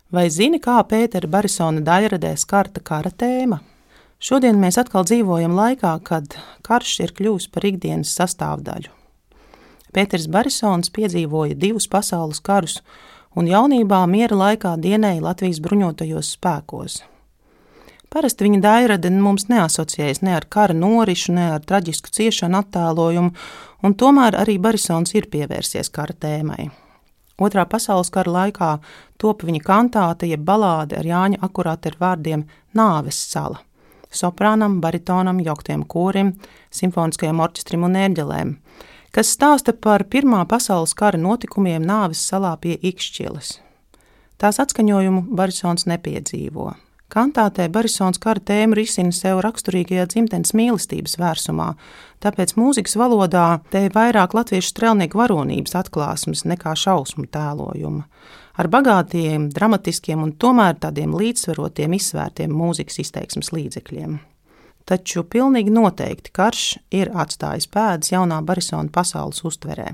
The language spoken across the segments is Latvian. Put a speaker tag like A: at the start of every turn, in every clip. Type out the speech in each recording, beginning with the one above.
A: Vai zini, kā Pētera Barisona daļradē skarta kara tēma? Šodien mēs atkal dzīvojam laikā, kad karš ir kļuvis par ikdienas sastāvdaļu. Pēters Barisons piedzīvoja 2 pasaules karus un jaunībā miera laikā dienēja Latvijas bruņotajos spēkos. Parasti viņa daļrade mums neasociējas ne ar kara norišu, ne ar traģisku ciešanu attēlojumu, un tomēr arī Barisons ir pievērsies kara tēmai. Otrā pasaules kara laikā top viņa kantāte jeb balāde ar Jāņa Akurāteru vārdiem Nāves sala, soprānam, baritonam, jauktiem korim, simfoniskajam orķestrim un ērģelēm, kas stāsta par Pirmā pasaules kara notikumiem Nāves salā pie Ikšķiles. Tās atskaņojumu Barisons nepiedzīvo. Kantātē Barisons kara tēmu risina sev raksturīgajā dzimtenes mīlestības vērsumā, tāpēc mūzikas valodā te vairāk latviešu strelnieku varonības atklāsmes nekā šausmu tēlojuma, ar bagātiem, dramatiskiem un tomēr tādiem līdzsvarotiem, izsvērtiem mūzikas izteiksmes līdzekļiem. Taču pilnīgi noteikti karš ir atstājis pēdas jaunā Barisona pasaules uztverē.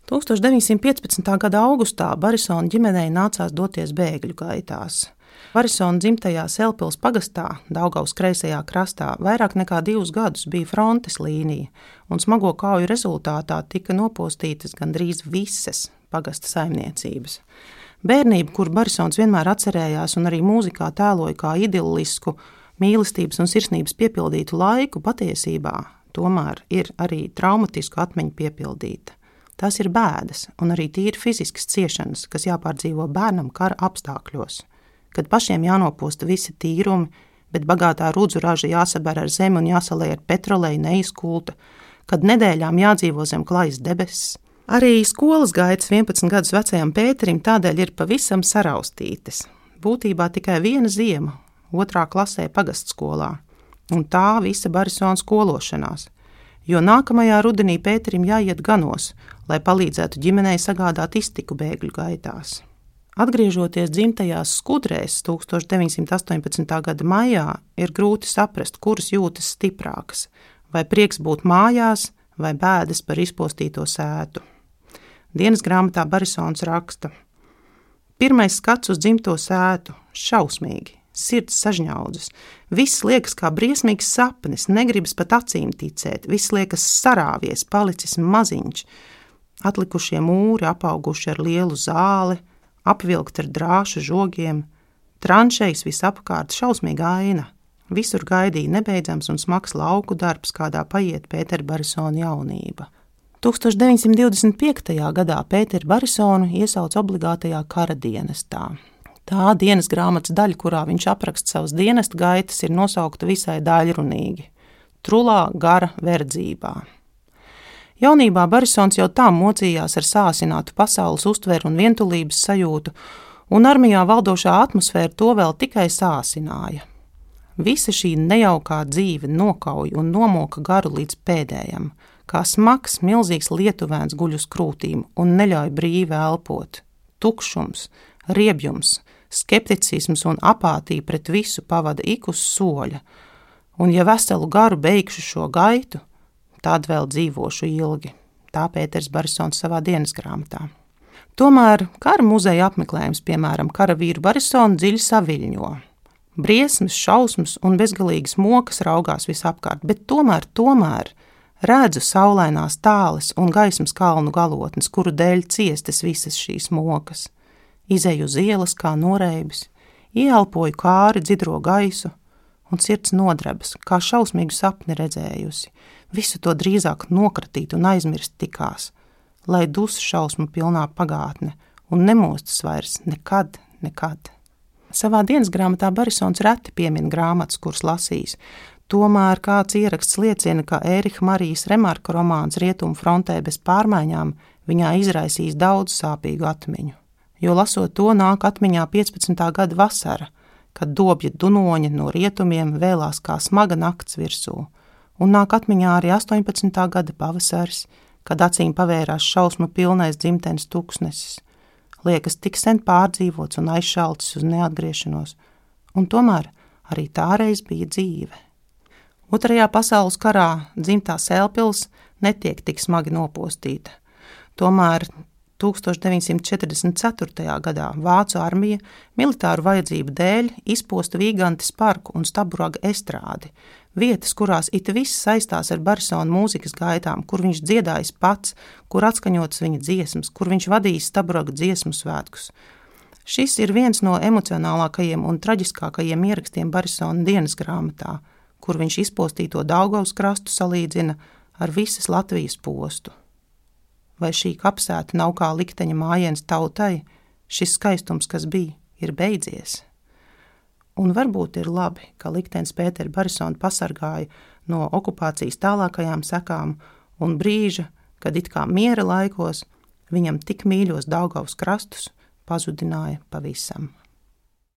A: 1915. gada augustā Barisona ģimenei nācās doties bēgļu gaitās. Barisona dzimtajā Selpils pagastā, Daugavas kreisajā krastā, vairāk nekā 2 gadus bija frontes līnija, un smago kauju rezultātā tika nopostītas gandrīz visas pagasta saimniecības. Bērnība, kur Barisons vienmēr atcerējās un arī mūzikā tēloja kā idillisku, mīlestības un sirsnības piepildītu laiku, patiesībā tomēr ir arī traumatisku atmiņu piepildīta. Tās ir bēdas un arī tīri fiziskas ciešanas, kas jāpārdzīvo bērnam kara apstākļos. Kad pašiem jānoposta visi tīrumi, bet bagātā rudzu raža jāsaber ar zemi un jāsalē ar petroleju neizkulta, kad nedēļām jādzīvo zem klajas debesis. Arī skolas gaitas 11 gadus vecajam Pēterim tādēļ ir pavisam saraustītas. Būtībā tikai 1 ziema, 2. klasē pagastskolā, un tā visa Barisona skološanās, jo nākamajā rudenī Pēterim jāiet ganos, lai palīdzētu ģimenei sagādāt iztiku bēgļu gaitās. Atgriežoties dzimtajās Skudrēs 1918. gada maijā, ir grūti saprast, kuras jūtas stiprākas, vai prieks būt mājās, vai bēdas par izpostīto sētu. Dienas grāmatā Barisons raksta: Pirmais skats uz dzimto sētu, šausmīgi, sirds sažņaudzas, viss liekas kā briesmīgs sapnis, negribas pat acīm ticēt, viss liekas sarāvies, palicis maziņš, atlikušie mūri apauguši ar lielu zāli, apvilkt ar drāšu žogiem, tranšejas visapkārt, šausmīga aina. Visur gaidīja nebeidzams un smags lauku darbs, kādā paiet Pētera Barisona jaunība. 1925. gadā Pēteru Barisonu iesauc obligātajā kara dienestā. Tā dienas grāmatas daļa, kurā viņš apraksta savas dienesta gaitas, ir nosaukta visai daļrunīgi – Trulā gara verdzībā. Jaunībā Barisons jau tā mocījās ar sāsinātu pasaules uztveru un vientulības sajūtu, un armijā valdošā atmosfēra to vēl tikai sāsināja. Visa šī nejaukā dzīve nokauja un nomoka garu līdz pēdējam, kā smags, milzīgs lietuvēns guļ uz krūtīm un neļauj brīvi elpot. Tukšums, riebjums, skepticisms un apātija pret visu pavada ik uz soļa, un ja veselu garu beigšu šo gaitu, tad vēl dzīvošu ilgi, tā Pēters Barisons savā dienas grāmatā. Tomēr kara muzeja apmeklējums, piemēram, karavīru Barisonu dziļi saviļņo. Briesmas, šausmas un bezgalīgas mokas raugās visapkārt, bet tomēr redzu saulainās tāles un gaismas kalnu galotnes, kuru dēļ ciestas visas šīs mokas. Izeju uz ielas kā noreibis, ieelpoju kāri dzidro gaisu, un sirds nodrebas, kā šausmīgu sapni redzējusi, visu to drīzāk nokratīt un aizmirst tikās, lai dus šausmu pilnā pagātne un nemostas vairs nekad. Savā dienas grāmatā Barisons reti piemin grāmatas, kuras lasīs, tomēr kāds ieraksts liecina, ka Ēriha Marijas Remarka romāns Rietumu frontē bez pārmaiņām viņā izraisīs daudz sāpīgu atmiņu, jo lasot to nāk atmiņā 15. gada vasara, kad dobja dunoņa no rietumiem vēlās kā smaga nakts virsū, un nāk atmiņā arī 18. gada pavasaris, kad acīm pavērās šausmu pilnais dzimtenes tuksnesis, liekas tik sen pārdzīvots un aizšaltis uz neatgriešanos, un tomēr arī tāreiz bija dzīve. Otrajā pasaules karā dzimtā Selpils netiek tik smagi nopostīta, tomēr 1944. gadā Vācu armija militāru vajadzību dēļ izposta Vīgantes parku un Staburaga estrādi, vietas, kurās it viss saistās ar Barisona mūzikas gaitām, kur viņš dziedājis pats, kur atskaņotas viņa dziesmas, kur viņš vadījis Staburaga dziesmu svētkus. Šis ir viens no emocionālākajiem un traģiskākajiem ierakstiem Barisona dienas grāmatā, kur viņš izpostīto Daugavas krastu salīdzina ar visas Latvijas postu. Vai šī kapsēta nav kā likteņa mājiens tautai, šis skaistums, kas bija, ir beidzies? Un varbūt ir labi, ka liktenis Pēteri Barisonu pasargāja no okupācijas tālākajām sekām un brīža, kad it kā miera laikos viņam tik mīļos Daugavas krastus pazudināja pavisam.